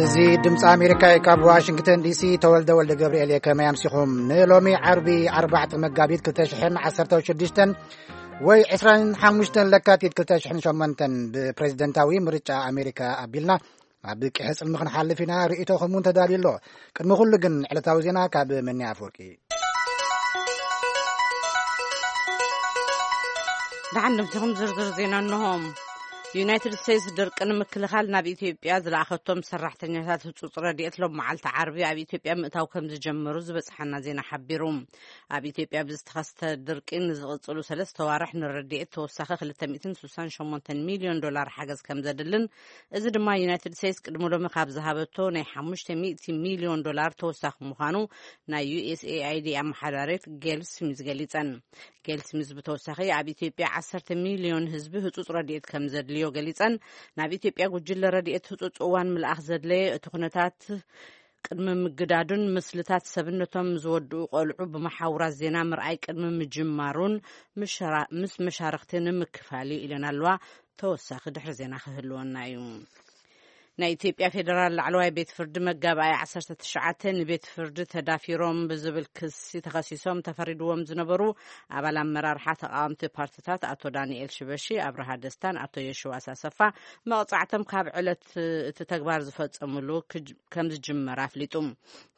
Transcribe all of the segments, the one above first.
እዚ ድምፂ ኣሜሪካ እዩ። ካብ ዋሽንግተን ዲሲ ተወልደ ወልደ ገብርኤል እየ። ከመይ ኣምሲኹም? ንሎሚ ዓርቢ ኣርባዕተ መጋቢት ክልተ ሽሕን ዓሰርተ ሽዱሽተን ወይ ዕስራን ሓሙሽተን ለካቲት ክልተ ሽሕን ሸሞንተን ብፕሬዚደንታዊ ምርጫ ኣሜሪካ ኣቢልና ኣብ ቅሐ ጽልሚ ክንሓልፍ ኢና። ርእይቶኹም እውን ተዳልዩ ኣሎ። ቅድሚ ኩሉ ግን ዕለታዊ ዜና ካብ መኒ ኣፈወርቂ። ደሓን ድምስኹም ዝርዝር ዜና እንሆ። ዩናይትድ ስቴትስ ድርቂ ንምክልኻል ናብ ኢትዮጵያ ዝለኣኸቶም ሰራሕተኛታት ህጹጽ ረድኤት ሎም መዓልቲ ዓርቢ ኣብ ኢትዮጵያ ምእታው ከም ዝጀመሩ ዝበጽሓና ዜና ሓቢሩ። ኣብ ኢትዮጵያ ብዝተኸስተ ድርቂ ንዝቕጽሉ ሰለስተ ዋርሕ ንረድኤት ተወሳኺ ክልተ ሚእትን ስሳን ሸሞንተን ሚልዮን ዶላር ሓገዝ ከም ዘድልን፣ እዚ ድማ ዩናይትድ ስቴትስ ቅድሚ ሎሚ ካብ ዝሃበቶ ናይ ሓሙሽተ ሚእቲ ሚልዮን ዶላር ተወሳኺ ምዃኑ ናይ ዩኤስኤኣይዲ ኣመሓዳሪት ጌል ስሚዝ ገሊጸን። ጌል ስሚዝ ብተወሳኺ ኣብ ኢትዮጵያ ዓሰርተ ሚልዮን ህዝቢ ህጹጽ ረድኤት ከም ዘድልዮ ገሊጸን፣ ናብ ኢትዮጵያ ጉጅለ ረድኤት ህጹጽ እዋን ምልኣኽ ዘድለየ እቲ ኩነታት ቅድሚ ምግዳዱን ምስልታት ሰብነቶም ዝወድኡ ቆልዑ ብመሓውራት ዜና ምርኣይ ቅድሚ ምጅማሩን ምሸራ-፣ ምስ መሻርኽቲ ንምክፋል እዩ ኢለን ኣለዋ። ተወሳኺ ድሕሪ ዜና ክህልወና እዩ። ናይ ኢትዮጵያ ፌዴራል ላዕለዋይ ቤት ፍርዲ መጋባኣይ ዓሰርተ ትሽዓተ ንቤት ፍርዲ ተዳፊሮም ብዝብል ክሲ ተኸሲሶም ተፈሪድዎም ዝነበሩ ኣባል ኣመራርሓ ተቃወምቲ ፓርትታት ኣቶ ዳንኤል ሽበሺ፣ ኣብርሃ ደስታን ኣቶ የሽዋስ ኣሰፋ መቕጻዕቶም ካብ ዕለት እቲ ተግባር ዝፈጸሙሉ ክጅ-፣ ከም ዝጅመር ኣፍሊጡ።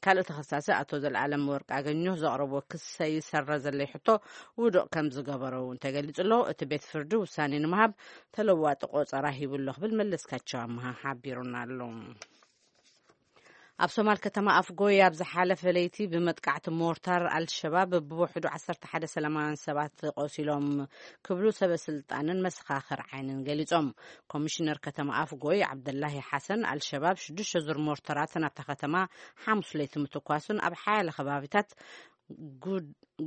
ካልእ ተኸሳሲ ኣቶ ዘልኣለም ወርቅ ኣገኘሁ ዘቕረቦ ክስ ሰይሰረዘለይ ሕቶ ውዱቕ ከም ዝገበሮ እውን ተገሊጹ ኣሎ። እቲ ቤት ፍርዲ ውሳኔ ንምሃብ ተለዋጢ ቆጸራ ሂቡ ኣሎ ክብል መለስካቸው ኣምሃ ሓቢሩና ኣሎ። ኣብ ሶማል ከተማ ኣፍጎይ ኣብ ዝሓለፈ ለይቲ ብመጥቃዕቲ ሞርታር ኣልሸባብ ብውሕዱ ዓሰርተ ሓደ ሰላማውያን ሰባት ቆሲሎም ክብሉ ሰበ ስልጣንን መሰኻኽር ዓይንን ገሊጾም። ኮሚሽነር ከተማ ኣፍጎይ ዓብደላሂ ሓሰን ኣልሸባብ ሽዱሽተ ዙር ሞርተራት ናብታ ከተማ ሓሙስ ለይቲ ምትኳሱን ኣብ ሓያለ ከባቢታት ጉ-፣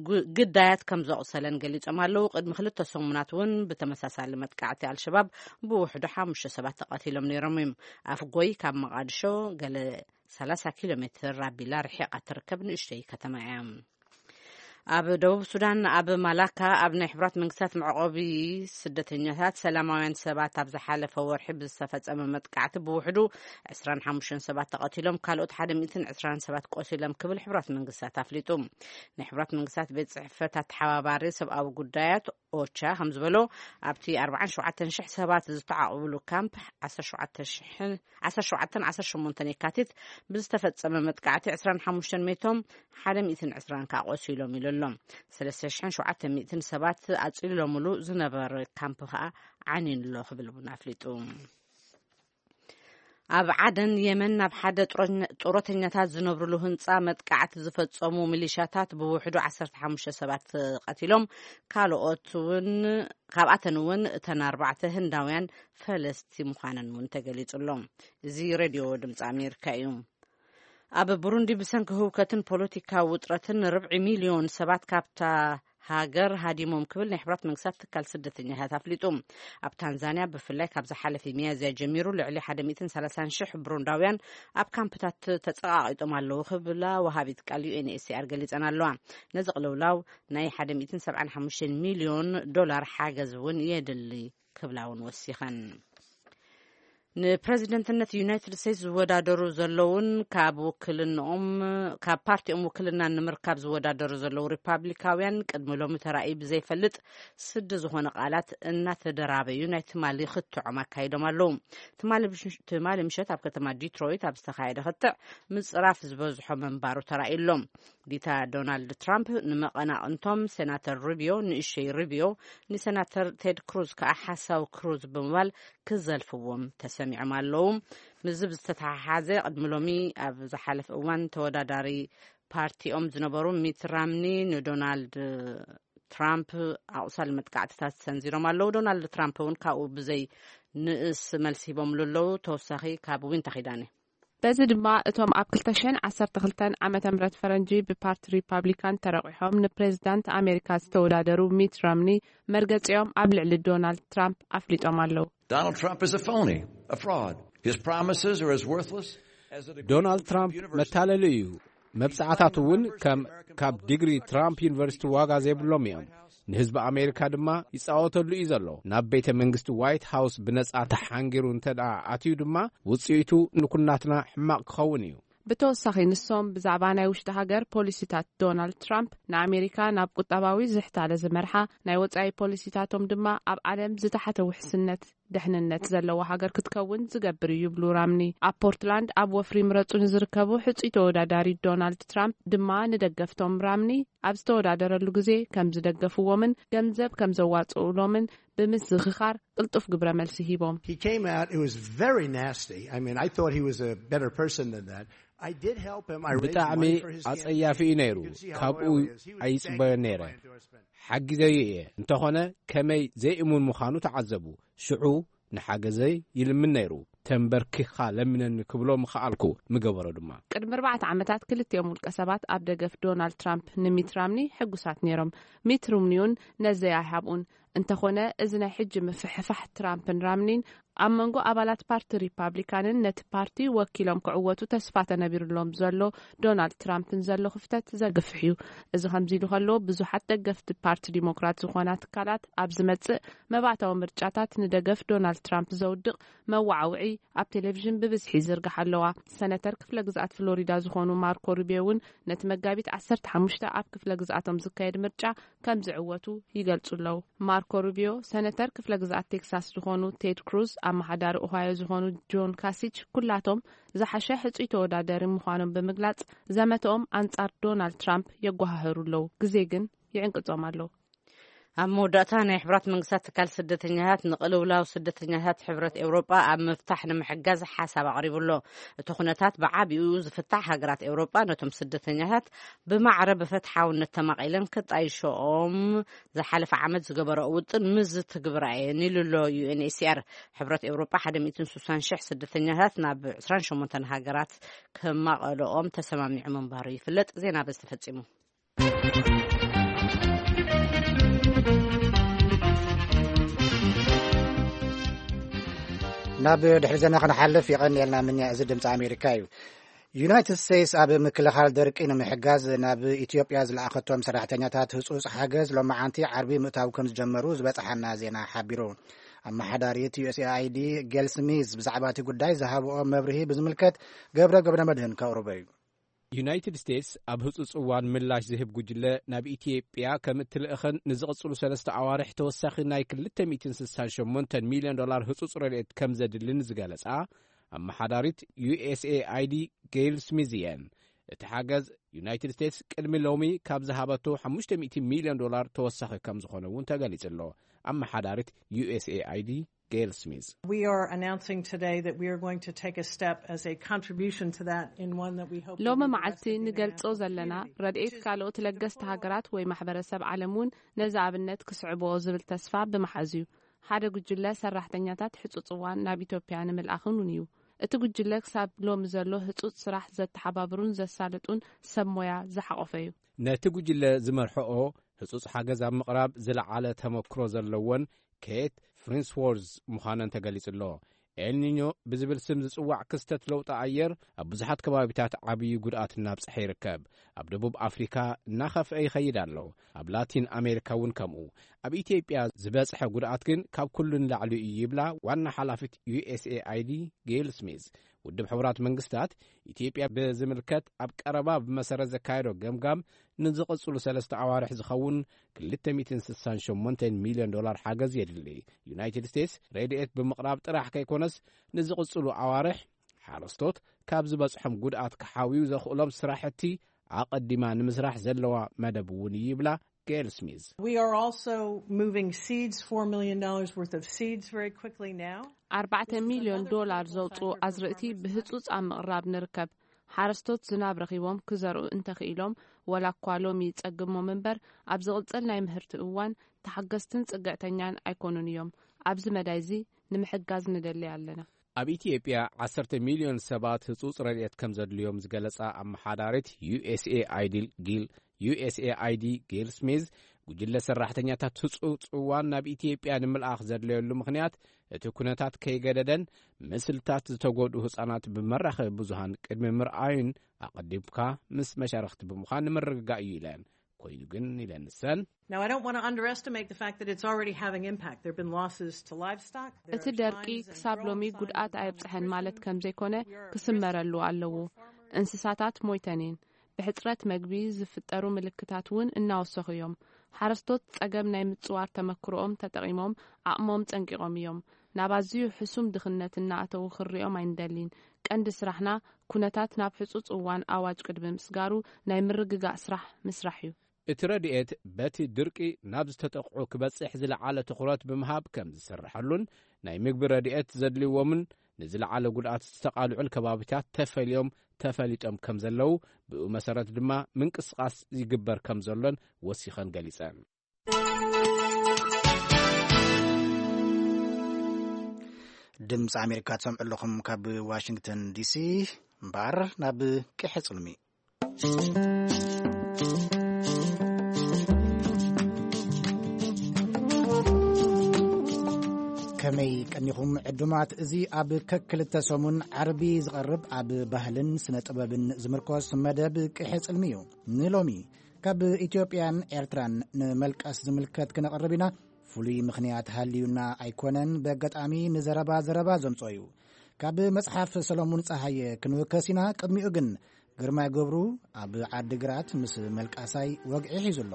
ጉ-፣ ግዳያት ከም ዘቑሰለን ገሊጾም ኣለዉ። ቅድሚ ክልተ ሰሙናት እውን ብተመሳሳሊ መጥቃዕቲ ኣልሸባብ ብውሕዱ ሓሙሽተ ሰባት ተቐቲሎም ነይሮም እዮም። ኣፍጎይ ካብ መቓድሾ ገለ ሰላሳ ኪሎ ሜትር ኣቢላ ርሒቓ ትርከብ ንእሽተይ ከተማ እያ። ኣብ ደቡብ ሱዳን ኣብ ማላካ ኣብ ናይ ሕቡራት መንግስታት መዕቆቢ ስደተኛታት ሰላማውያን ሰባት ኣብ ዝሓለፈ ወርሒ ብዝተፈጸመ መጥቃዕቲ ብውሕዱ ዕስራን ሓሙሽተን ሰባት ተቐቲሎም፣ ካልኦት ሓደ ሚእትን ዕስራን ሰባት ቆሲሎም ክብል ሕቡራት መንግስታት ኣፍሊጡ። ናይ ሕቡራት መንግስታት ቤት ጽሕፈት ኣተሓባባሪ ሰብኣዊ ጉዳያት ኦቻ ከም ዝበሎ፣ ኣብቲ ኣርባዓን ሸውዓተን ሽሕ ሰባት ዝተዓቑብሉ ካምፕ ዓሰርተ ሸውዓተ ሽሕን ዓሰርተ ሸውዓተን ዓሰርተ ሸሞንተን የካቲት ብዝተፈጸመ መጥቃዕቲ ዕስራን ሓሙሽተን ሜቶም፣ ሓደ ሚእትን ዕስራን ከኣ ቆሲሎም ኢሉ ኣሎ። ሰለስተ ሽሕን ሸውዓተ ሚእትን ሰባት ኣጽሊሎምሉ ዝነበረ ካምፕ ከኣ ዓንዩን ኣሎ ክብል እውን ኣፍሊጡ። ኣብ ዓደን የመን ናብ ሓደ ጡረኛ-፣ ጡረተኛታት ዝነብርሉ ህንጻ መጥቃዕቲ ዝፈጸሙ ሚሊሻታት ብውሕዱ ዓሰርተ ሓሙሽተ ሰባት ቀቲሎም፣ ካልኦት እውን፣ ካብኣተን እውን እተን ኣርባዕተ ህንዳውያን ፈለስቲ ምዃነን እውን ተገሊጹ ኣሎ። እዚ ሬድዮ ድምጺ ኣሜሪካ እዩ። ኣብ ቡሩንዲ ብሰንኪ ህውከትን ፖለቲካዊ ውጥረትን ርብዒ ሚልዮን ሰባት ካብታ ሃገር ሃዲሞም ክብል ናይ ሕብራት መንግስታት ትካል ስደተኛታት ኣፍሊጡ። ኣብ ታንዛንያ ብፍላይ ካብ ዝሓለፈ ሚያዝያ ጀሚሩ ልዕሊ ሓደ ሚእትን ሰላሳን ሽሕ ብሩንዳውያን ኣብ ካምፕታት ተጸቓቒጦም ኣለዉ ክብላ ወሃቢት ቃል ዩ ኤን ኤች ሲ ኣር ገሊጸን ኣለዋ። ነዚ ቅልውላው ናይ ሓደ ሚእትን ሰብዓን ሓሙሽተን ሚልዮን ዶላር ሓገዝ እውን የድሊ ክብላ እውን ወሲኸን። ንፕረዚደንትነት ዩናይትድ ስቴትስ ዝወዳደሩ ዘለውን ካብ ውክልንኦም፣ ካብ ፓርቲኦም ውክልና ንምርካብ ዝወዳደሩ ዘለዉ ሪፓብሊካውያን ቅድሚ ሎሚ ተራእዩ ብዘይፈልጥ ስዲ ዝኾነ ቃላት እናተደራበዩ ናይ ትማሊ ክትዖም ኣካይዶም ኣለዉ። ትማሊ ብሽ-፣ ትማሊ ምሸት ኣብ ከተማ ዲትሮይት ኣብ ዝተኻየደ ክትዕ ምጽራፍ ዝበዝሖ ምንባሩ ተራእዩ ኣሎ። ዲታ ዶናልድ ትራምፕ ንመቐናቕንቶም ሴናተር ሩቢዮ፣ ንእሸይ ሩቢዮ፣ ንሴናተር ቴድ ክሩዝ ከኣ ሓሳዊ ክሩዝ ብምባል ክዘልፍዎም ተሰሚዖም ኣለዉ። ምስዚ ብዝተተሓሓዘ ቅድሚ ሎሚ ኣብ ዝሓለፈ እዋን ተወዳዳሪ ፓርቲኦም ዝነበሩ ሚት ራምኒ ንዶናልድ ትራምፕ ኣቑሳሊ መጥቃዕትታት ሰንዚሮም ኣለዉ። ዶናልድ ትራምፕ እውን ካብኡ ብዘይ ንእስ መልሲ ሂቦምሉ ኣለዉ። ተወሳኺ ካብ ዊንታ ኺዳነ። በዚ ድማ እቶም ኣብ ክልተ ሽሕን ዓሰርተ ክልተን ዓመተ ምህረት ፈረንጂ ብፓርቲ ሪፓብሊካን ተረቂሖም ንፕሬዝዳንት ኣሜሪካ ዝተወዳደሩ ሚት ራምኒ መርገጺኦም ኣብ ልዕሊ ዶናልድ ትራምፕ ኣፍሊጦም ኣለዉ። Donald Trump is a phony, a fraud. His promises are as worthless as the degree ዶናልድ ትራምፕ መታለሊ እዩ። መብጻዕታቱ እውን ከም ካብ ዲግሪ ትራምፕ ዩኒቨርሲቲ ዋጋ ዘይብሎም እዮም። ንህዝቢ ኣሜሪካ ድማ ይጻወተሉ እዩ ዘሎ። ናብ ቤተ መንግስቲ ዋይት ሃውስ ብነጻ ተሓንጊሩ እንተ ደኣ ኣትዩ ድማ፣ ውጽኢቱ ንኩናትና ሕማቕ ክኸውን እዩ። ብተወሳኺ፣ ንሶም ብዛዕባ ናይ ውሽጢ ሃገር ፖሊሲታት ዶናልድ ትራምፕ፣ ንኣሜሪካ ናብ ቁጠባዊ ዝሕታለ ዝመርሓ፣ ናይ ወጻኢ ፖሊሲታቶም ድማ ኣብ ዓለም ዝተሓተ ውሕስነት ደሕንነት ዘለዎ ሃገር ክትከውን ዝገብር እዩ ይብሉ ራምኒ። ኣብ ፖርትላንድ ኣብ ወፍሪ ምረጹ ንዝርከቡ ሕጹይ ተወዳዳሪ ዶናልድ ትራምፕ ድማ፣ ንደገፍቶም ራምኒ ኣብ ዝተወዳደረሉ ግዜ ከም ዝደገፍዎምን ገንዘብ ከም ዘዋጽኡሎምን ብምዝኽኻር ቅልጡፍ ግብረ መልሲ ሂቦም። He came out, it was very nasty. I mean, I thought he was a better person than that. I did help him. I raised ብጣዕሚ money for his ኣጸያፊ እዩ campaign. ነይሩ። You can see how ካብኡ loyal he is. He was ኣይጽበዮን begging ነይረ። For my endorsement. ሓጊዘዮ እየ። እንተኾነ ከመይ ዘይእሙን ምዃኑ ተዓዘቡ። ሽዑ ንሓገዘይ ይልምን ነይሩ። ተንበርኪኻ ለምነኒ ክብሎ ምኸኣልኩ፣ ምገበሮ ድማ። ቅድሚ ኣርባዕተ ዓመታት ክልቲኦም ውልቀ ሰባት ኣብ ደገፍ ዶናልድ ትራምፕ ንሚት ራምኒ ሕጉሳት ነይሮም። ሚት ራምኒ እውን ነዘይ ኣይሃብኡን። እንተኾነ፣ እዚ ናይ ሕጂ ምፍሕፋሕ ትራምፕን ራምኒን ኣብ መንጎ ኣባላት ፓርቲ ሪፓብሊካንን ነቲ ፓርቲ ወኪሎም ክዕወቱ ተስፋ ተነቢሩሎም ዘሎ ዶናልድ ትራምፕን ዘሎ ክፍተት ዘግፍሕ እዩ። እዚ ከምዚ ኢሉ ከሎ፣ ብዙሓት ደገፍቲ ፓርቲ ዲሞክራት ዝኾና ትካላት ኣብ ዝመጽእ መባእታዊ ምርጫታት ንደገፍ ዶናልድ ትራምፕ ዘውድቕ መወዓውዒ ኣብ ቴሌቪዥን ብብዝሒ ይዝርግሓ ኣለዋ። ሰነተር ክፍለ ግዝኣት ፍሎሪዳ ዝኾኑ ማርኮ ሩቢዮ እውን ነቲ መጋቢት ዓሰርተ ሓሙሽተ ኣብ ክፍለ ግዝኣቶም ዝካየድ ምርጫ ከም ዝዕወቱ ይገልጹ ኣለዉ። ማርኮ ሩቢዮ፣ ሰነተር ክፍለ ግዝኣት ቴክሳስ ዝኾኑ ቴድ ክሩዝ፣ ኣመሓዳሪ ኦሃዮ ዝኾኑ ጆን ካሲች፣ ኩላቶም ዝሓሸ ሕጹይ ተወዳደሪ ምዃኖም ብምግላጽ፣ ዘመተኦም ኣንጻር ዶናልድ ትራምፕ የጓሃህሩ ኣለዉ። ግዜ ግን ይዕንቅጾም ኣሎ። ኣብ መወዳእታ፣ ናይ ሕብራት መንግስታት ትካል ስደተኛታት ንቅልውላው ስደተኛታት ሕብረት ኤውሮጳ ኣብ ምፍታሕ ንምሕጋዝ ሓሳብ ኣቕሪቡ ኣሎ። እቲ ኩነታት ብዓቢኡ ዝፍታሕ፣ ሃገራት ኤውሮጳ ነቶም ስደተኛታት ብማዕረ ብፍትሓውነት ተማቒለን ክጣይሸኦም ዝሓለፈ ዓመት ዝገበረኦ ውጥን ምስ ዝትግብራ እየን ኢሉ ኣሎ ዩ ኤን ኤች ሲ ኣር። ሕብረት ኤውሮጳ ሓደ ሚእትን ስሳን ሽሕ ስደተኛታት ናብ ዕስራን ሸሞንተን ሃገራት ክማቐልኦም ተሰማሚዑ ምንባሩ ይፍለጥ። ዜና በዚ ተፈጺሙ። ናብ ድሕሪ ዜና ክንሓልፍ የቐንየልና ምንያ። እዚ ድምፂ ኣሜሪካ እዩ። ዩናይትድ ስቴትስ ኣብ ምክልኻል ደርቂ ንምሕጋዝ ናብ ኢትዮጵያ ዝለኣኸቶም ሰራሕተኛታት ህፁፅ ሓገዝ ሎማዓንቲ ዓርቢ ምእታው ከም ዝጀመሩ ዝበፅሓና ዜና ሓቢሩ። ኣመሓዳሪት ዩ ኤስ ኤ ኣይ ዲ ጌል ስሚዝ ብዛዕባ እቲ ጉዳይ ዝሃብኦ መብርሂ ብዝምልከት ገብረ ገብረ መድህን ከቕርቦ እዩ። ዩናይትድ ስቴትስ ኣብ ህጹጽ እዋን ምላሽ ዝህብ ጉጅለ ናብ ኢትዮጵያ ከም እትልእኽን ንዝቕጽሉ ሰለስተ ኣዋርሕ ተወሳኺ ናይ ክልተ ሚእትን ስሳን ሸሞንተን ሚልዮን ዶላር ህጹጽ ረድኤት ከም ዘድልን ዝገለጻ ኣመሓዳሪት ዩ ኤስ ኤ ኣይ ዲ ጌል ስሚዝ እየን። እቲ ሓገዝ ዩናይትድ ስቴትስ ቅድሚ ሎሚ ካብ ዝሃበቶ ሓሙሽተ ሚእቲ ሚልዮን ዶላር ተወሳኺ ከም ዝኾነ እውን ተገሊጹ ኣሎ። ኣመሓዳሪት ዩ ኤስ ኤ ኣይ ዲ ጌል ስሚዝ We are announcing today that we are going to take a step as a contribution to that in one that we hope will ሎሚ be the መዓልቲ best thing in the ንገልጾ ዘለና ረድኤት ካልኦት ለገስቲ ሃገራት ወይ ማሕበረሰብ ዓለም እውን ነዚ ኣብነት ክስዕብኦ ዝብል ተስፋ ብምሓዝ እዩ። ሓደ ጉጅለ ሰራሕተኛታት ሕጹጽ እዋን ናብ ኢትዮጵያ ንምልኣኽን እውን እዩ። እቲ ጉጅለ ክሳብ ሎሚ ዘሎ ህጹጽ ስራሕ ዘተሓባብሩን ዘሳልጡን ሰብ ሞያ ዝሓቖፈ እዩ። ነቲ ጉጅለ ዝመርሕኦ ህጹጽ ሓገዝ ኣብ ምቕራብ ዝለዓለ ተመክሮ ዘለወን ኬት ፍሪንስዎርዝ ምዃነን ተገሊጹ ኣሎ። ኤልኒኞ ብዝብል ስም ዝጽዋዕ ክስተት ለውጢ ኣየር ኣብ ብዙሓት ከባቢታት ዓብዪ ጉድኣት እናብጽሐ ይርከብ። ኣብ ደቡብ ኣፍሪካ እናኸፍአ ይኸይድ ኣሎ። ኣብ ላቲን ኣሜሪካ እውን ከምኡ። ኣብ ኢትዮጵያ ዝበጽሐ ጉድኣት ግን ካብ ኩሉ ንላዕሊ እዩ ይብላ ዋና ሓላፊት ዩ ኤስ ኤ ኣይ ዲ ጌል ስሚዝ። ውድብ ሕቡራት መንግስታት ኢትዮጵያ ብዝምልከት ኣብ ቀረባ ብመሰረት ዘካየዶ ገምጋም ንዝቕጽሉ ሰለስተ ኣዋርሕ ዝኸውን ክልተ ሚእትን ስሳን ሸሞንተን ሚልዮን ዶላር ሓገዝ የድሊ። ዩናይትድ ስቴትስ ረድኤት ብምቕራብ ጥራሕ ከይኮነስ ንዝቕጽሉ ኣዋርሕ ሓረስቶት ካብ ዝበጽሖም ጉድኣት ክሓውዩ ዘኽእሎም ስራሕቲ ኣቐዲማ ንምስራሕ ዘለዋ መደብ እውን እዩ ይብላ ጌል ስሚዝ። We are also moving seeds, four million dollars worth of seeds very quickly now. ኣርባዕተ ሚልዮን ዶላር ዘውፅኡ ኣዝርእቲ ብህፁፅ ኣብ ምቕራብ ንርከብ። ሓረስቶት ዝናብ ረኺቦም ክዘርኡ እንተኽኢሎም፣ ወላ እኳ ሎሚ ይፀግሞም እምበር፣ ኣብ ዝቕፅል ናይ ምህርቲ እዋን ተሓገዝትን ፅግዕተኛን ኣይኮኑን እዮም። ኣብዚ መዳይ እዚ ንምሕጋዝ ንደሊ ኣለና። ኣብ ኢትዮጵያ ዓሰርተ ሚልዮን ሰባት ህጹጽ ረድኤት ከም ዘድልዮም ዝገለጻ ኣመሓዳሪት ዩ ኤስ ኤ ኣይ ዲ ጊል፣ ዩ ኤስ ኤ ኣይ ዲ ጊል ስሚዝ፣ ጉጅለ ሰራሕተኛታት ህጹጽ እዋን ናብ ኢትዮጵያ ንምልኣኽ ዘድለየሉ ምኽንያት፣ እቲ ኩነታት ከይገደደን ምስልታት ዝተጎድኡ ህጻናት ብመራኸቢ ብዙሃን ቅድሚ ምርኣዩን ኣቐዲምካ ምስ መሻርኽቲ ብምዃን ንምርግጋእ እዩ ኢለን። ኮይኑ ግን ኢለን ንሰን፣ Now, I don't want to underestimate the fact that it's already having impact. There have been losses to livestock. There እቲ are ደርቂ signs and ክሳብ ሎሚ growing ጉድኣት signs of ኣየብጽሐን ማለት ከም ዘይኮነ ክስመረሉ ኣለዎ። እንስሳታት ሞይተን እየን። ብሕጽረት መግቢ ዝፍጠሩ ምልክታት እውን እናወሰኹ እዮም። ሓረስቶት ጸገም ናይ ምጽዋር ተመክሮኦም ተጠቒሞም ዓቕሞም ጸንቂቖም እዮም። ናብ ኣዝዩ ሕሱም ድኽነት እናኣተዉ ክሪኦም ኣይንደሊን። ቀንዲ ስራሕና ኩነታት ናብ ሕጹጽ እዋን ኣዋጅ ቅድሚ ምስጋሩ ናይ ምርግጋእ ስራሕ ምስራሕ እዩ። እቲ ረድኤት በቲ ድርቂ ናብ ዝተጠቕዑ ክበጽሕ ዝለዓለ ትኹረት ብምሃብ ከም ዝስርሐሉን ናይ ምግቢ ረድኤት ዘድልይዎምን ንዝለዓለ ጉድኣት ዝተቓልዑን ከባቢታት ተፈልዮም ተፈሊጦም ከም ዘለዉ፣ ብኡ መሰረት ድማ ምንቅስቓስ ይግበር ከም ዘሎን ወሲኸን ገሊጸን። ድምፂ ኣሜሪካ ትሰምዑ ኣለኹም ካብ ዋሽንግተን ዲሲ። እምበኣር ናብ ቅሐ ጽልሚ። ከመይ ቀኒኹም ዕዱማት? እዚ ኣብ ከክልተ ሰሙን ዓርቢ ዝቐርብ ኣብ ባህልን ስነ ጥበብን ዝምርኮስ መደብ ቅሐ ጽልሚ እዩ። ንሎሚ ካብ ኢትዮጵያን ኤርትራን ንመልቀስ ዝምልከት ክነቕርብ ኢና። ፍሉይ ምኽንያት ሃልዩና ኣይኮነን፣ በገጣሚ ንዘረባ ዘረባ ዘምጾ እዩ። ካብ መጽሓፍ ሰሎሙን ጸሃየ ክንውከስ ኢና። ቅድሚኡ ግን ግርማይ ገብሩ ኣብ ዓዲግራት ምስ መልቃሳይ ወግዒ ሒዙ ኣሎ።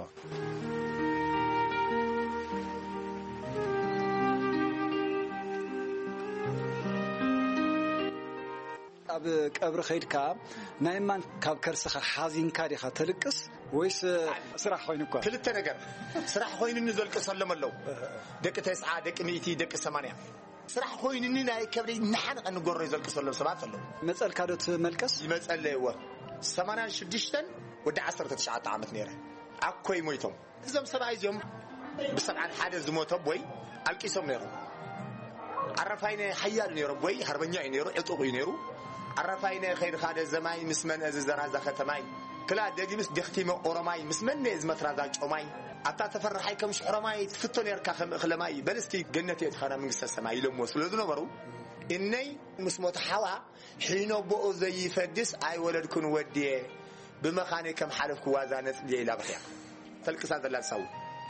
ኣብ ቀብሪ ከይድካ ናይ ማን ካብ ከርስኻ ሓዚንካ ዲኻ ተልቅስ ወይስ ስራሕ ኮይኑ እኳ? ክልተ ነገር። ስራሕ ኮይኑኒ ዘልቅሰሎም ኣለዉ። ደቂ ተስዓ፣ ደቂ ሚእቲ፣ ደቂ ሰማንያ። ስራሕ ኮይኑኒ ናይ ከብደይ እናሓነቐ ንጎሮይ ዘልቅሰሎም ሰባት ኣለዉ። መጸልካ ዶ ትመልቀስ? ይመጸለይ እወ። ሰማንያን ሽዱሽተን ወዲ ዓሰርተ ትሽዓተ ዓመት ነይረ። ኣኮይ ሞይቶም። እዞም ሰብኣይ እዚኦም ብሰብዓን ሓደ ዝሞተ ኣቦይ ኣልቂሶም ነይሮም። ኣረፋይነ ሓያል ነይሩ፣ ኣቦይ ሃርበኛ እዩ ነይሩ፣ ዕጡቕ እዩ ነይሩ። ኣረፋይነ ከይድኻ ደዘማይ ምስ መን እዚ ዘራዛ ከተማይ ክላ ደጊምስ ደኽቲመ ኦሮማይ ምስ መን እዚ መትራዛ ጮማይ ኣብታ ተፈርሓይ ከም ሽሕሮማይ ትፍቶ ነርካ ከም እኽለማይ በልስቲ ገነት እየ ትኻና መንግስተ ሰማይ ኢሎምዎ ስለ ዝነበሩ እነይ ምስ ሞተ ሓዋ ሒኖ ቦኡ ዘይፈድስ ኣይወለድኩን ወድየ ብመኻነይ ከም ሓለፍኩ ዋዛ ነጽልየ ኢላ በኽያ። ተልቅሳ ዘላ ንሳው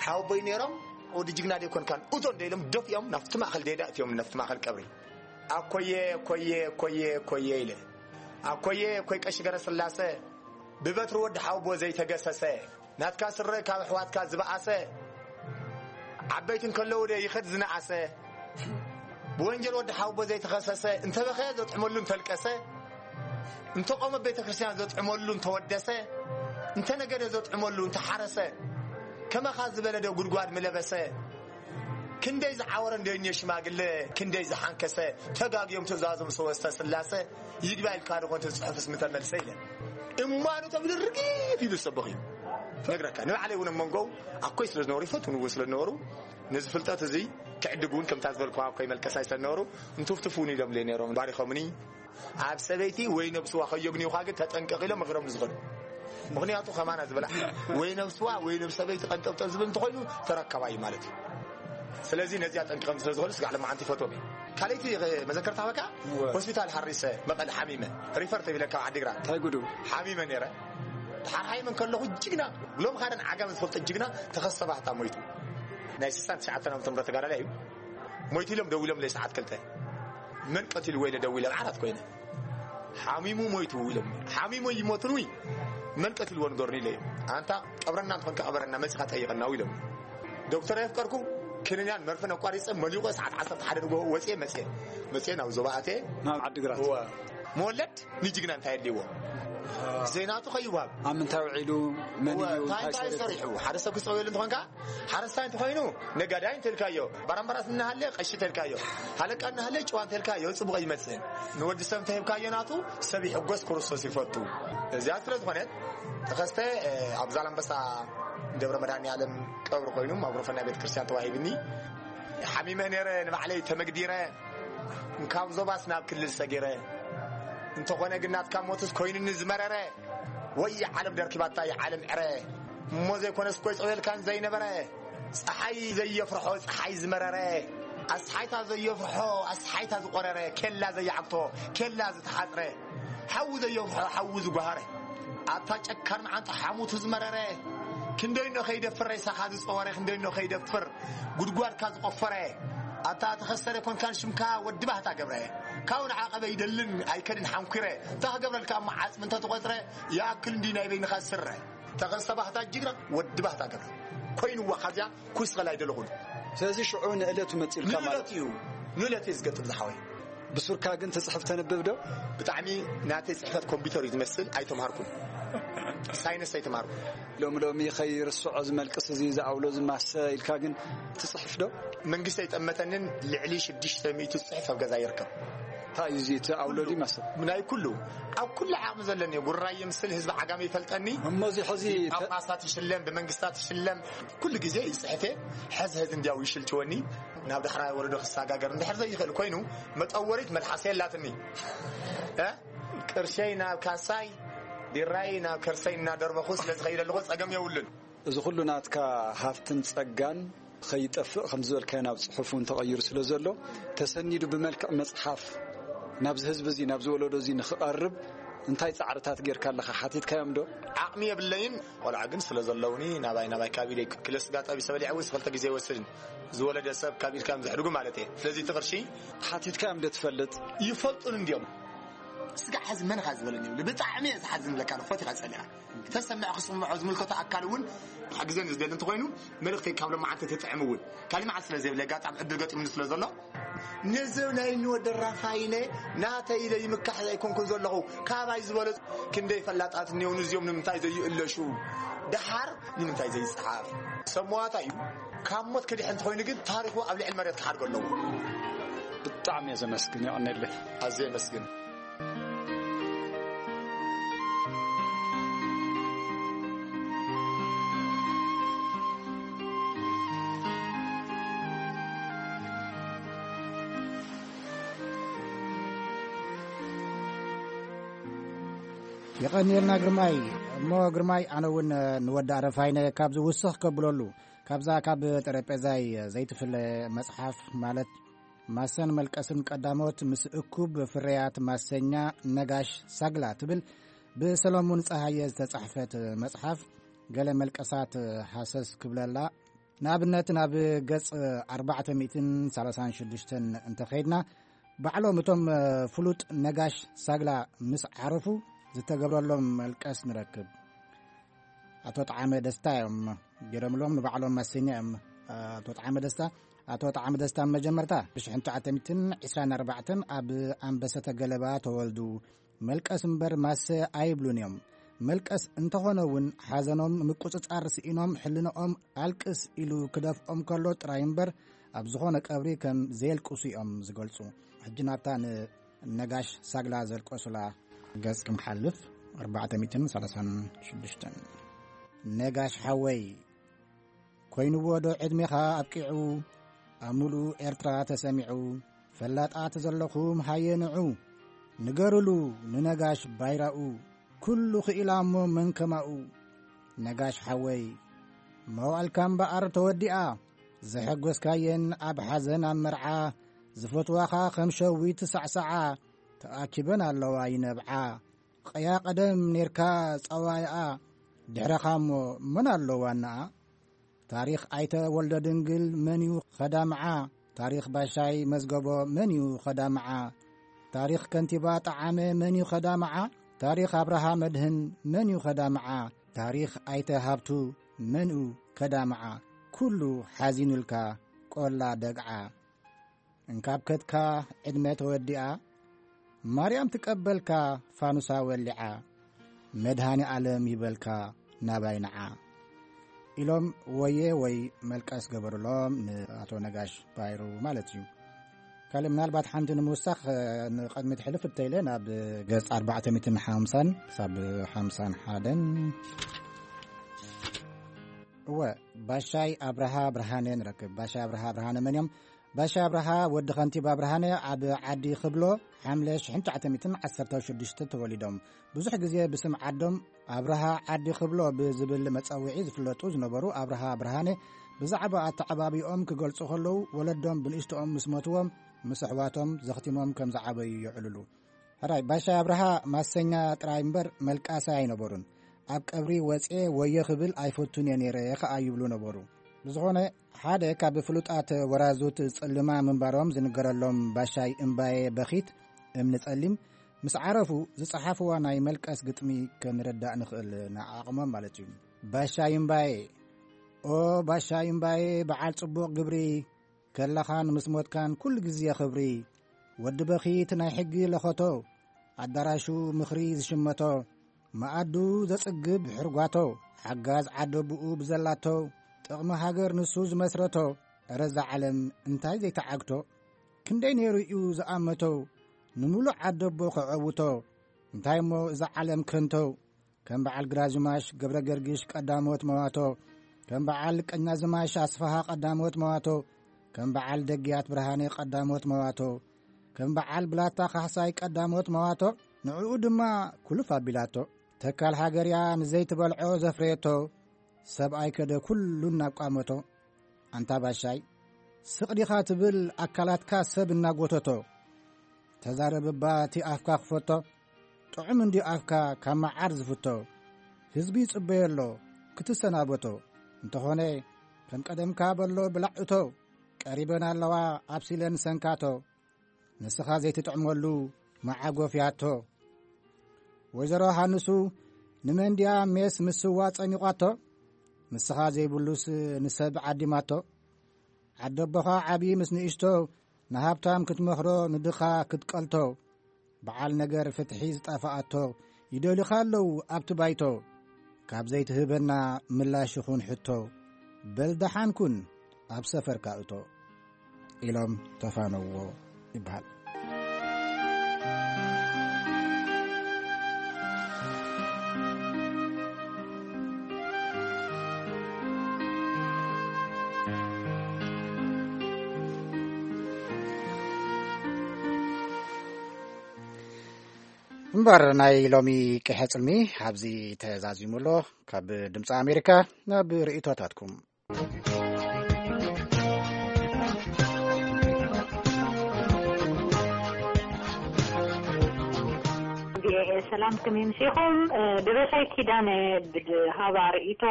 ሓወቦይ ነይሮም። ወዲ ጅግና ደይኮንካን እቶ እንደ ኢሎም ደፊኦም ናብቲ ማእኸል ደይዳ እትዮም ናብቲ ማእኸል ቀብሪ። ኣኮየ ኮየ ኮየ ኮየ ኢለ ኣኮየ ኮይ ቀሺ ገረ ስላሰ ብበትሪ ወዲ ሓወቦ ዘይተገሰሰ ናትካ ስረ ካብ ኣሕዋትካ ዝበኣሰ ዓበይቲ እንከለዉ ደ ይኸድ ዝነኣሰ ብወንጀል ወዲ ሓውቦ ዘይተኸሰሰ እንተበኸየ ዘጥዕመሉ እንተልቀሰ እንተቆመ ቤተ ክርስቲያን ዘጥዕመሉ እንተወደሰ እንተነገደ ዘጥዕመሉ እንተሓረሰ ከመኻ ዝበለ ደ ጉድጓድ ምለበሰ ክንደይ ዝዓወረ እንደዮ ሽማግለ ክንደይ ዝሓንከሰ ተጋግዮም ትእዛዞም ሰወስተ ስላሰ ይግባይ ኢልካ ድኾን ትጽሕፍስ ምተመልሰ ኢለ እማኑ ተብሉ ርጊፍ ኢሉ ዝሰበኽ እዩ ነግረካ ንባዕለይ እውን ኣብ መንጎው ኣኮይ ስለ ዝነበሩ ይፈትውኒ እውን ስለ ዝነበሩ ነዚ ፍልጠት እዚ ክዕድግ እውን ከምታ ዝበልኩዋ ኣኮይ መልቀሳይ ስለ ዝነበሩ እንትፍትፉኒ ኢሎም ነይሮም ባሪኾምኒ ኣብ ሰበይቲ ወይ ነብስዋ ከየግንዩኻ ግን ተጠንቀቕ ኢሎም ምኽሮም ዝኽእሉ ምኽንያቱ ከማና ዝበላ ወይ ነብስዋ ወይ ነብ ሰበይቲ ቀንጠብጠብ ዝብል እንተኾይኑ ተረከባይ ማለት እዩ ስለዚ ነዚኣ ጠንቂቐም ስለ ዝኾኑ ስጋዕ ለማዓንቲ ይፈትዎም እየ ካልይቲ መዘከርታ በካ ሆስፒታል ሃሪሰ መቐል ሓሚመ ሪፈር ተቢለ ካብ ዓዲግራት እንታይ ጉዱ ሓሚመ ነይረ ተሓርሓይመ እንከለኹ ጅግና ብሎም ካደን ዓጋመ ዝፈልጦ ጅግና ተኸሰባህታ ሞይቱ ናይ ስሳን ትሽዓተን ዓመተ ምህረት ተጋዳላይ እዩ ሞይቱ ኢሎም ደው ኢሎም ለይ ሰዓት ክልተ መን ቀቲልዎ ኢለ ደው ኢለ ዓራት ኮይነ ሓሚሙ ሞይቱ ኢሎም ሓሚሙ ይሞትንዊ መን ቀቲልዎ ንገሩኒ ኢለ እዩ ኣንታ ቀብረና እንትኾንካ ቅበረና መፂኻ ጠይቐና ኢሎም ዶክተር የፍቀርኩ ክንንያን መርፍን ኣቋሪፀ መሊቆ ሰዓት ዓሰርተ ሓደ ንጎ ወፅየ መፅየ መፅየ ናብ ዞባ ኣትየ ናብ ዓዲግራት መወለድ ንጅግና እንታይ ኣድልይዎ ዘይናቱ ከይዋብ ኣብ ምንታይ ውዒሉ መን እዩ እንታይ እንታይ እንታይ ሰሪሑ ሓደ ሰብ ክፀውየሉ እንትኾንካ ሓረስታይ እንተኾይኑ ነጋዳይ እንተልካዮ ባራምባራስ እናሃለ ቀሺ ተልካዮ ሃለቃ እናሃለ ጭዋ እንተልካዮ ፅቡቕ ይመፅእ ንወዲ ሰብ እንተሂብካዮ ናቱ ሰብ ይሕጎስ ክርስቶስ ይፈቱ እዚኣ ስለ ዝኾነት ተኸስተ ኣብ ዛላምበሳ ደብረ መድሃኒ ዓለም ቀብሪ ኮይኑ ማጉረፈና ቤተ ክርስቲያን ተዋሂብኒ ሓሚመ ነይረ ንባዕለይ ተመግዲረ ካብ ዞባስ ናብ ክልል ሰጊረ እንተኾነ ግን ናትካ ሞትስ ኮይኑኒ ዝመረረ ወይ ዓለም ደርኪባታ ይዓለም ዕረ እሞ ዘይኮነስ ኮይ ጸውየልካን ዘይነበረ ፀሓይ ዘየፍርሖ ፀሓይ ዝመረረ ኣስሓይታ ዘየፍርሖ ኣስሓይታ ዝቆረረ ኬላ ዘየዓግቶ ኬላ ዝተሓፅረ ሓዊ ዘየፍርሖ ሓዊ ዝጓሃረ ኣብታ ጨካን መዓንጣ ሓሙቱ ዝመረረ ክንደይኖ ከይደፍር ሬሳኻ ዝጸወረ፣ ክንደይኖ ከይደፍር ጉድጓድካ ዝቆፈረ፣ ኣታ ተኸሰረ ኮንካን ሽምካ ወዲ ባህታ ገብረ። ካብኡ ንዓቐበ ይደልን ኣይከድን ሓንኩረ። እንታ ክገብረልካ እሞ ዓጽሚ እንተተቖጽረ፣ ይኣክል እንዲ ናይ በይንኻ ስረ። ተኸስተ ባህታ ጅግና ወዲ ባህታ ገብረ። ኮይንዋ ካብዚኣ ኩስኸል ኣይደለኹን። ስለዚ ሽዑ ንእለቱ መጺኡልካ ማለት ንእለት እዩ። ንእለት እዩ ዝገጥም ዝሓወይ። ብሱርካ ግን ትጽሕፍ ተንብብ ዶ? ብጣዕሚ ናተይ ጽሕፈት ኮምፒውተር እዩ ዝመስል። ኣይተምሃርኩን። ሳይንስ ኣይተምሃርኩን። ሎሚ ሎሚ ከይርስዖ ዝመልቅስ እዚ ዝኣውሎ ዝማሰ ኢልካ ግን ትጽሕፍ ዶ? መንግስቲ ኣይጠመተንን። ልዕሊ ሽዱሽተ ሚእቲ ጽሑፍ ኣብ ገዛ ይርከብ። እንታይ እዩ እዚ እቲ ኣውሎ ድዩ ማሰ? ናይ ኩሉ፣ ኣብ ኩሉ ዓቕሚ ዘለኒ ጉራይ የምስል ህዝቢ ዓጋመ ይፈልጠኒ። እሞ እዚ ሕዚ ተ- ጳጳሳት ይሽለም፣ ብመንግስታት ይሽለም። ኩሉ ግዜ ይጽሕፌ። ሕዝ ሕዝ እንዲያው ይሽልችወኒ። ናብ ዳሕራይ ወለዶ ክሰጋገር እንድሕር ዘይኽእል ኮይኑ፣ መጠወሪት መልሓሰ የላትኒ። እ? ቅርሸይ ናብ ካሳይ፣ ቢራይ ናብ ከርሰይ እናደርበኹ ስለ ዝኸይደልኹ ጸገም የብሉን። እዚ ኩሉ ናትካ ሃፍትን ጸጋን ከይጠፍእ ከም ዝበልካዮ ናብ ጽሑፍ እውን ተቐይሩ ስለ ዘሎ፣ ተሰኒዱ ብመልክዕ መጽሓፍ ናብዚ ህዝቢ እዚ፣ ናብዚ ወለዶ እዚ ንኽቐርብ እንታይ ጻዕርታት ጌርካ ኣለኻ? ሓቲትካዮም ዶ? ዓቕሚ የብለይን። ቆልዓ ግን ስለ ዘለውኒ ናባይ ናባይ ካብ ኢደይ ክለ ስጋ ጠቢሰ በሊዐ እውን ክልተ ግዜ ይወስድን። ዝወለደ ሰብ ካብ ኢድካ እዮም ዘሕድጉ ማለት እየ። ስለዚ እቲ ቅርሺ ሓቲትካዮም ዶ ትፈልጥ? ይፈልጡን እንዲዮም። ስጋዕ ሕዚ መን ኢኻ ዝበለኒ ይብሉ። ብጣዕሚ እየ ዝሓዝን ለካ፣ ንፎት ኢኻ ጸሊኻ። ተሰምዕ ክስምዖ ዝምልከቶ ኣካል እውን ሓግዘን ዝደሊ እንተኾይኑ፣ መልእኽተይ ካብ ሎማዓንቲ ትጥዕም እውን። ካሊእ መዓልቲ ስለ ዘይብለ፣ ኣጋጣሚ ዕድል ገጢሙኒ ስለ ዘሎ፣ ነዚ ናይ ንወደ ራፋይነ ናተይ ኢለ ይምካሕ ኣይኮንኩን ዘለኹ። ካባይ ዝበለጹ ክንደይ ፈላጣት እኒኦውን፣ እዚኦም ንምንታይ ዘይእለሹ? ደሓር ንምንታይ ዘይጸሓፍ? ሰብ መዋታ እዩ። ካብ ሞት ክድሕን እንተኾይኑ ግን፣ ታሪኹ ኣብ ልዕሊ መሬት ክሓድጎ ኣለዎ። ብጣዕሚ እየ ዘመስግን፣ የቐኔለይ። ኣዝየ የመስግን። የቐንየልና ግርማይ። እሞ ግርማይ፣ ኣነ እውን ንወዲ ኣረፋይነ ካብዚ ውስኽ ከብለሉ፣ ካብዛ ካብ ጠረጴዛይ ዘይትፍለ መጽሓፍ፣ ማለት ማሰን መልቀስን ቀዳሞት ምስ እኩብ ፍርያት ማሰኛ ነጋሽ ሳግላ ትብል ብሰለሙን ጸሃየ ዝተጻሕፈት መጽሓፍ፣ ገለ መልቀሳት ሃሰስ ክብለላ። ንኣብነት፣ ናብ ገጽ ኣርባዕተ ሚእትን ሰላሳን ሽዱሽተን እንተኸይድና፣ ባዕሎም እቶም ፍሉጥ ነጋሽ ሳግላ ምስ ዓረፉ ዝተገብረሎም መልቀስ ንረክብ። ኣቶ ጠዓመ ደስታ እዮም ገይሮምሎም፣ ንባዕሎም ማሰኛ እዮም። ኣቶ ጠዓመ ደስታ፣ ኣቶ ጠዓመ ደስታ፣ መጀመርታ፣ ብሽሕን ትሽዓተ ሚእትን ዕስራን ኣርባዕተን ኣብ ኣንበሰተ ገለባ ተወልዱ። መልቀስ እምበር ማሰ ኣይብሉን እዮም። መልቀስ እንተኾነ እውን፣ ሓዘኖም ምቁጽጻር ስኢኖም፣ ሕልንኦም ኣልቅስ ኢሉ ክደፍኦም ከሎ ጥራይ እምበር፣ ኣብ ዝኾነ ቀብሪ ከም ዘየልቅሱ እዮም ዝገልጹ። ሕጂ ናብታ ንነጋሽ ሳግላ ዘልቀሱላ ገጽ ክንሓልፍ፣ ኣርባዕተ ሚእትን ሰላሳን ሽዱሽተን። ነጋሽ ሓወይ፣ ኮይንዎ ዶ ዕድሜኻ ኣብቂዑ፣ ኣብ ምሉእ ኤርትራ ተሰሚዑ? ፈላጣት ዘለኹም ሃየ ንዑ፣ ንገሩሉ ንነጋሽ ባይራኡ፣ ኩሉ ክኢላ እሞ መን ከማኡ? ነጋሽ ሓወይ፣ መዋእልካ እምበኣር ተወዲኣ፣ ዘሐጎስካየን ኣብ ሓዘን ኣብ መርዓ፣ ዝፈትዋኻ ከም ሸዊት ሳዕሳዓ፣ ተኣኪበን ኣለዋ ይነብዓ። ቀያ ቀደም ኔርካ ጸዋይኣ፣ ድሕረኻ እሞ መን ኣሎ ዋናኣ? ታሪኽ ኣይተ ወልደ ድንግል መን እዩ ኸዳምዓ? ታሪኽ ባሻይ መዝገቦ መን እዩ ኸዳምዓ? ታሪኽ ከንቲባ ጠዓመ መን እዩ ኸዳምዓ? ታሪኽ ኣብርሃ መድህን መን እዩ ኸዳምዓ? ታሪኽ ኣይተ ሃብቱ መን እዩ ከዳምዓ? ኩሉ ሓዚኑልካ ቆላ ደግዓ። እንካብ ከድካ ዕድመ ተወዲኣ፣ ማርያም ትቀበልካ ፋኑሳ ወሊዓ፣ መድሃኔ ኣለም ይበልካ ናባይ ንዓ ኢሎም ወየ ወይ መልቀስ ገበሩሎም፣ ንኣቶ ነጋሽ ባይሩ ማለት እዩ። ካልእ ምናልባት ሓንቲ ንምውሳኽ፣ እ፣ ንቐድሚት ሕልፍ እንተኢለ ናብ ገጽ ኣርባዕተ ሚእትን ሓምሳን ክሳብ ሓምሳን ሓደን። እወ፣ ባሻይ ኣብርሃ ብርሃነ ንረክብ። ባሻይ ኣብርሃ ብርሃነ መን እዮም? ባሻ ኣብርሃ ወዲ ከንቲባ ብርሃነ ኣብ ዓዲ ክብሎ ሓምለ ሽሕን ትሽዓተ ሚእትን ዓሰርተ ሽዱሽተ ተወሊዶም። ብዙሕ ግዜ ብስም ዓዶም ኣብርሃ ዓዲ ክብሎ ብዝብል መጸውዒ ዝፍለጡ ዝነበሩ ኣብርሃ ብርሃነ ብዛዕባ ኣተዓባቢኦም ክገልጹ ከለዉ፣ ወለዶም ብንእሽቶኦም ምስ ሞትዎም፣ ምስ ኣሕዋቶም ዘኽቲሞም ከም ዝዓበዩ የዕልሉ። ሕራይ፣ ባሻ ኣብርሃ ማሰኛ ጥራይ እምበር መልቃሳይ ኣይነበሩን። ኣብ ቀብሪ ወጽኤ ወዮ ክብል ኣይፈቱን እየ ነይረ ከኣ ይብሉ ነበሩ። ብዝኾነ፣ ሓደ ካብ ፍሉጣት ወራዙት ጽልማ ምንባሮም ዝንገረሎም ባሻይ እምባየ በኺት እምኒ ጸሊም ምስ ዓረፉ ዝጸሓፍዋ ናይ መልቀስ ግጥሚ ከንርዳእ ንኽእል ንዓቕሞም ማለት እዩ። ባሻይ እምባየ፣ ኦ ባሻይ እምባየ በዓል ጽቡቕ ግብሪ፣ ከለኻን ምስ ሞትካን ኩሉ ግዜ ክብሪ። ወዲ በኺት ናይ ሕጊ ለኸቶ፣ ኣዳራሹ ምኽሪ ዝሽመቶ፣ መኣዱ ዘጽግብ ሕርጓቶ፣ ሓጋዝ ዓደብኡ ብዘላቶ፣ ጥቕሚ ሃገር ንሱ ዝመስረቶ፣ እረ እዛ ዓለም እንታይ ዘይተዓግቶ፣ ክንደይ ነይሩ እዩ ዝኣመቶ፣ ንምሉእ ዓደቦ ከዐውቶ፣ እንታይ እሞ እዛ ዓለም ከንቶ፣ ከም በዓል ግራዝማሽ ገብረ ገርግሽ ቀዳሞት መዋቶ፣ ከም በዓል ቀኛዝማሽ ኣስፍሃ ቀዳሞት መዋቶ፣ ከም በዓል ደግያት ብርሃነ ቀዳሞት መዋቶ፣ ከም በዓል ብላታ ካሕሳይ ቀዳሞት መዋቶ፣ ንዕኡ ድማ ኩልፍ ኣቢላቶ። ተካል ሃገርያ ንዘይትበልዖ ዘፍረየቶ፣ ሰብኣይ ከደ ኩሉ እናቋመቶ። ኣንታ ባሻይ፣ ስቕ ዲኻ ትብል ኣካላትካ ሰብ እናጎተቶ፣ ተዛረብ እባ እቲ ኣፍካ ክፈቶ። ጥዑም እንዲ ኣፍካ ካብ መዓር ዝፍቶ። ህዝቢ ይጽበዮ ኣሎ ክትሰናበቶ። እንተኾነ ከም ቀደምካ በሎ ብላዕ እቶ። ቀሪበን ኣለዋ ኣብሲለን ሰንካቶ። ንስኻ ዘይትጥዕመሉ መዓጎፍያቶ። ወይዘሮ ሃንሱ ንመንድያ ሜስ ምስዋ ጸሚቋቶ። ንስኻ ዘይብሉስ ንሰብ ዓዲማቶ። ዓደቦኻ ዓቢ ምስ ንእሽቶ ንሃብታም ክትመኽሮ ንድኻ ክትቀልቶ። በዓል ነገር ፍትሒ ዝጠፍኣቶ ይደልኻ ኣለዉ ኣብቲ ባይቶ። ካብ ዘይትህበና ምላሽ ይኹን ሕቶ፣ በል ደሓን ኩን ኣብ ሰፈርካ እቶ ኢሎም ተፋነዎ ይበሃል። እምበር ናይ ሎሚ ቅሐ ጽልሚ ኣብዚ ተዛዚሙ ኣሎ። ካብ ድምፂ ኣሜሪካ ናብ ርእይቶታትኩም። ሰላም፣ ከመይ ምሲኹም? ደበሳይ ኪዳነ ብድሃባ ርእይቶ፣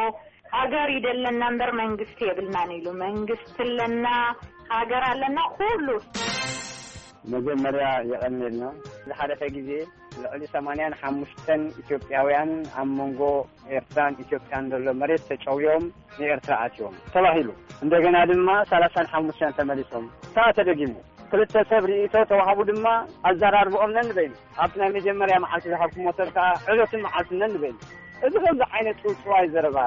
ሃገር ይደለና እምበር መንግስቲ የብልናን ኢሉ። መንግስቲ ኣለና፣ ሃገር ኣለና፣ ኩሉ። መጀመርያ የቐንየልና። ዝሓለፈ ግዜ ልዕሊ ሰማንያን ሓሙሽተን ኢትዮጵያውያን ኣብ መንጎ ኤርትራን ኢትዮጵያን ዘሎ መሬት ተጨውዮም ንኤርትራ ኣትዮም ተባሂሉ። እንደገና ድማ ሰላሳን ሓሙሽተን ተመሊሶም። ከኣ ተደጊሙ። ክልተ ሰብ ርእይቶ ተዋህቡ ድማ ኣዘራርብኦም ነንበይኑ ኣብቲ ናይ መጀመርያ መዓልቲ ዝሃብኩሞ ሰብ ከኣ ዕለቱን መዓልቱን ነንበይኑ። እዚ ከምዚ ዓይነት ጽውጽዋይ ዘረባ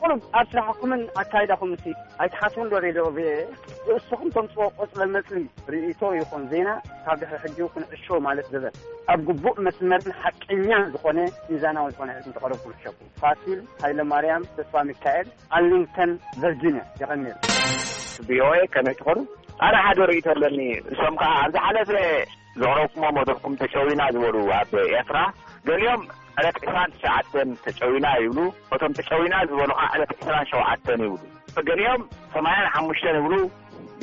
ቁሩብ ኣብ ስራሕኩምን ኣካይዳኹምሲ ኣይትሓስቡን ዶ? ሬድዮ ቪኦኤ ርእስኹም ተምጽዎ ቆጽለ መጽሊ ርእይቶ ይኹን ዜና ካብ ድሕሪ ሕጂ ክንዕሾ ማለት ዝበል ኣብ ግቡእ መስመርን ሓቀኛን ዝኾነ ሚዛናዊ ዝኾነ ሕትም ተቐረብኩም ሕሸኩም። ፋሲል ሃይለማርያም ተስፋ ሚካኤል ኣርሊንግተን ቨርጂንያ። የቐንየልና። ቪኦኤ ከመይ ትኾኑ? ኣነ ሓደ ርእይቶ ኣለኒ። እሶም ከኣ ኣብ ዝሓለፈ ዘቕረብኩሞ መደብኩም ተጨዊና ዝበሉ ኣብ ኤርትራ ገሊኦም ዕለት ዕስራን ትሽዓተን ተጨዊና ይብሉ፣ እቶም ተጨዊና ዝበሉ ከኣ ዕለት ዕስራን ሸውዓተን ይብሉ፣ ገሊኦም ሰማንያን ሓሙሽተን ይብሉ፣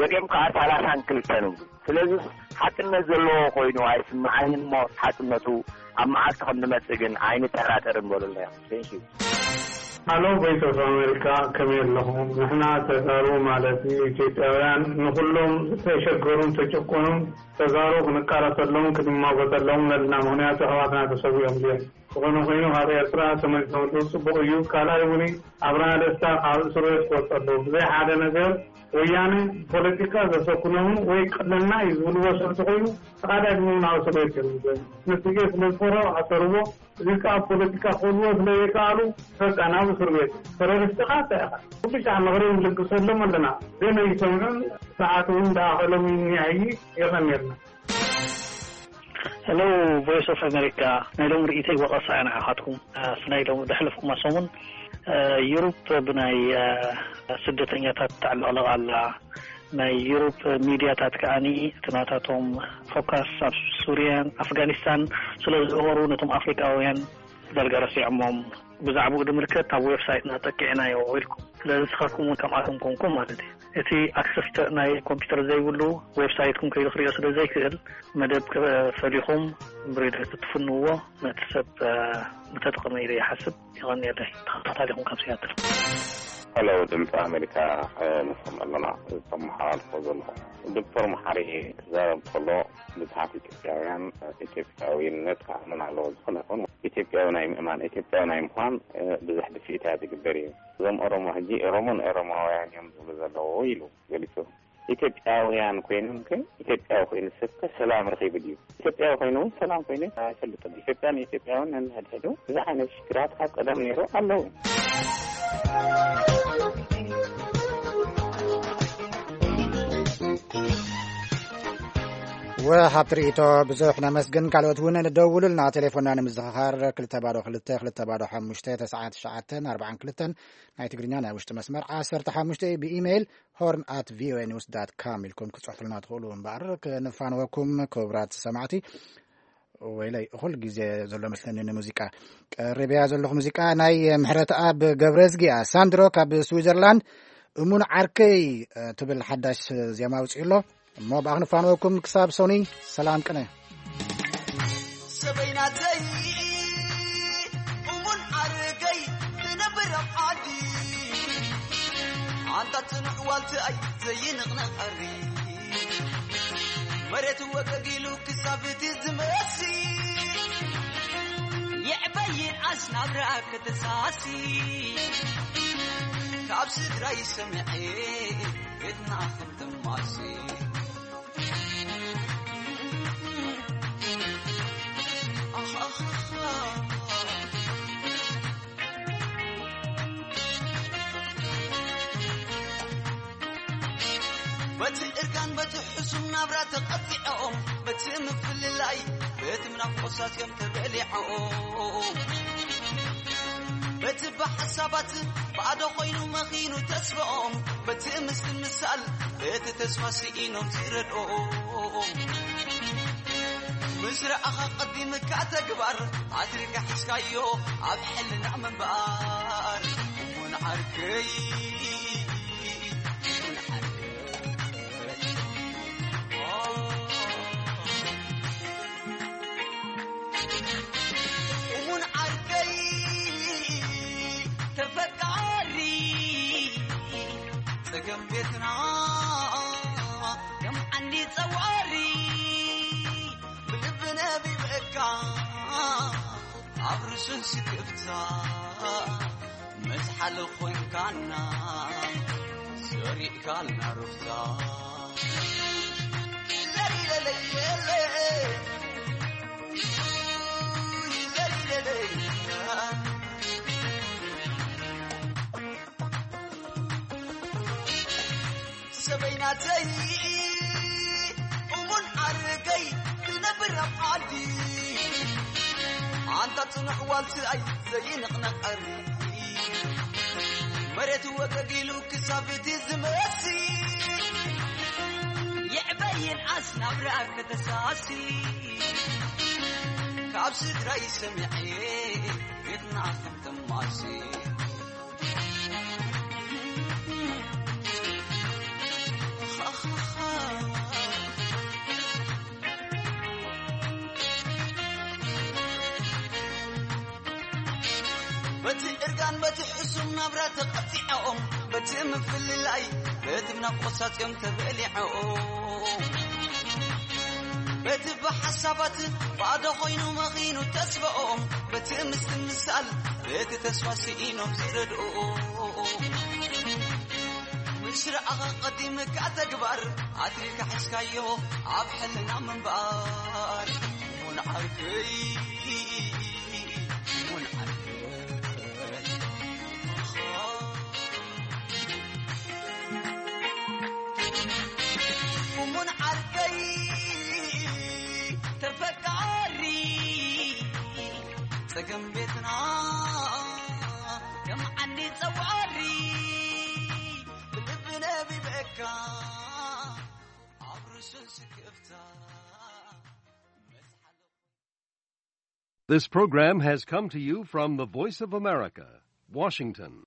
ገሊኦም ከኣ ሰላሳን ክልተን ይብሉ። ስለዚ ሓቅነት ዘለዎ ኮይኑ ኣይስምዓንን እሞ ሓቅነቱ ኣብ መዓልቲ ከም ዝመጽእ ግን ኣይንጠራጠርን በሉልና። Thank you። ሃሎ ቮይስ ኦፍ ኣሜሪካ ከመይ ኣለኹም? ንሕና ተጋሩ ማለት እዩ ኢትዮጵያውያን ንኹሎም ዝተሸገሩን ተጨቆኑን ተጋሩ ክንቃለሰሎም ክንማጎተሎም ነልና። ምኽንያቱ ኣሕዋትና ተሰዊኦም ድዮም? ዝኾነ ኮይኑ ካብ ኤርትራ ተመሊሶም ኣለዉ ጽቡቕ እዩ። ካልኣይ እውን ኣብርሃ ደስታ ካብ እስር ቤት ክወጽእ ኣለዎ። ብዘይ ሓደ ነገር ወያነ ብፖለቲካ ዘሰኩኖምን ወይ ቀለልና እዩ ዝብልዎ ሰብ እንተኾይኑ ተቓዳድሞም ናብ እስር ቤት እዮም ዝገቡ። ንስጌ ስለ ዝፈርሑ ኣሰርዎ። እዚ ከዓ ፖለቲካ ክህልዎ ስለ ዘይከኣሉ በቃ ናብ እስር ቤት። ተረሪስቲ ከዓ እንታይ ኢኻ? ኩሉ ሻዕ ምኽሪ ንልግሰሎም ኣለና። ዘይመይሰምዑን ሰዓት እውን እንዳኣኸሎም ይንያይ። የቐንየልና። ሄሎ ቮይስ ኦፍ ኣሜሪካ፣ ናይ ሎም ርእይተይ ወቐሳ እያ ንዓኻትኩም። ኣስ ናይ ሎም ደሕለፍኩማ ሰሙን ዩሩፕ ብናይ ስደተኛታት ተዕለቕለቕ ኣላ። ናይ ዩሩፕ ሚድያታት ከኣኒ እቲ ናታቶም ፎካስ ኣብ ሱርያን ኣፍጋኒስታን ስለ ዝገበሩ ነቶም ኣፍሪቃውያን ዳርጋ ረሲዖሞም። ብዛዕባኡ ንምልከት ኣብ ዌብሳይትና ጠቂዕናዮ ኢልኩም። ስለዚ ንስኻትኩም እውን ከምኣቶም ኮንኩም ማለት እዩ። እቲ ኣክሰስ ናይ ኮምፒውተር ዘይብሉ ዌብሳይትኩም ከይዱ ክሪኦ ስለ ዘይክእል፣ መደብ ፈሊኹም ብሬድዮ ትፍንዎ ነቲ ሰብ ምተጠቐመ ኢለ ይሓስብ። ይቐንየለይ። ተኸታታሊኹም ካብ ሲያትል። ሄሎ፣ ድምፂ ኣሜሪካ። ንሰምዕ ኣለና። ዝተመሓላልፎ ዘለኹም ዶክተር መሓሪ ክዛረብ ከሎ፣ ብዙሓት ኢትዮጵያውያን ኢትዮጵያዊነት ክኣምን ኣለዎ። ዝኾነ ይኹን ኢትዮጵያዊ ናይ ምእማን፣ ኢትዮጵያዊ ናይ ምዃን ብዙሕ ድፍኢታት ይግበር እዩ። እዞም ኦሮሞ ሕጂ ኦሮሞን ኦሮማውያን እዮም ዝብሉ ዘለዉ ኢሉ ገሊጹ። ኢትዮጵያውያን ኮይኖም ግን ኢትዮጵያዊ ኮይኑ ሰብ ከ ሰላም ረኺቡ ድዩ? ኢትዮጵያዊ ኮይኑ እውን ሰላም ኮይኑ ኣይፈልጥን። ኢትዮጵያን ኢትዮጵያውን ነንሕድሕዱ ብዙሕ ዓይነት ሽግራት ካብ ቀደም ነይሩ ኣለዉ። ወሃብቲ ርእይቶ ብዙሕ ነመስግን። ካልኦት እውን ንደውሉልና። ቴሌፎንና ንምዝኽኻር ክልተ ባዶ ክልተ ክልተ ባዶ ሓሙሽተ ተስዓተ ትሽዓተ ኣርባዓን ክልተን፣ ናይ ትግርኛ ናይ ውሽጢ መስመር ዓሰርተ ሓሙሽተ፣ ብኢሜይል ሆርን ኣት ቪኦኤ ኒውስ ዳት ካም ኢልኩም ክትጽሕፉልና ትኽእሉ። እምበኣር ክንፋንወኩም ክቡራት ሰማዕቲ። ወይለይ፣ እኹል ግዜ ዘሎ መስለኒ ንሙዚቃ። ቀሪበያ ዘለኹ ሙዚቃ ናይ ምሕረተኣብ ገብረዝጊ እያ። ሳንድሮ ካብ ስዊዘርላንድ እሙን ዓርከይ ትብል ሓዳሽ ዜማ ኣውጺኡ ኣሎ። እሞ ብኣ ክንፋንወኩም ክሳብ ሶኒ ሰላም ቅነ። ሰበይናተይ እሙን ዓርከይ ትነብር ኣብ ዓዲ፣ ኣንታ ጽኑዕ ዋልትኣይ ዘይንቕነቐሪ፣ መሬት ወገግ ኢሉ ክሳብ እቲ ዝመሲ፣ ይዕበይን ኣስናብራ ከተሳሲ፣ ካብ ስድራይ ሰምዔ ቤትና ከም ትማሲ። በቲ እርጋን በቲ ሕሱም ናብራ ተቐጢዖም፣ በቲ ምፍልላይ በቲ ምናፍቆት ሳትዮም ተበሊዖም፣ በቲ ብሓሳባት ባዶ ኮይኑ መኺኑ ተስፋኦም፣ በቲ ምስትምሳል በቲ ተስፋ ስኢኖም ዝረድኦም፣ ምስ ረኣኻ ቀዲምካ ተግባር ኣትሪካ ሒዝካዮ ኣብ ሕልና ምንባር። እሙን ዓርከይ፣ እሙን ዓርከይ፣ እሙን ዓርከይ ተፈቃሪ፣ ጸገም ቤትና ከም ዓንዲ ጸዋሪ፣ ብልቢ ነቢበካ ኣብ ርሱን ስክፍታ፣ መዝሓል ኮይንካና ሰሪቕካልና ሩፍታ። ሰበይናተይ እሙን ዓርከይ ትነብር ኣብ ዓዲ፣ ኣንታ ጽኑሕ ዋልትኣይ ዘይንቕነቐሪ፣ መሬት ወገግ ኢሉ ክሳብ እቲ ዝመሲ፣ ይዕበይን ኣስናብራ ከተሳሲ፣ ካብ ስድራይ ሰሚዐ ቤትና ከም ተማሲ። በቲ እርጋን በቲ ሕሱም ናብራ ተቐጢዖም፣ በቲ ምፍልላይ በቲ ናፍቆት ሳትዮም ተበሊዖም፣ በቲ ብሓሳባት ባዶ ኮይኑ መኺኑ ተስፋኦም፣ በቲ ምስትምሳል በቲ ተስፋ ስኢኖም ዝረድኡ። ምስ ረኣኻ ቀዲምካ ተግባር ኣትሪካ ሒዝካዮ ኣብ ሕልና ምንባር። እሙን ዓርከይ፣ እሙን ዓርከይ፣ እሙን ዓርከይ ተፈቃሪ፣ ጸገም ቤትና ከም ዓንዲ ጸዋሪ፣ ብልቢ ነቢበካ ኣብ ርሱን ስክፍታ። This program has come to you from the Voice of America, Washington.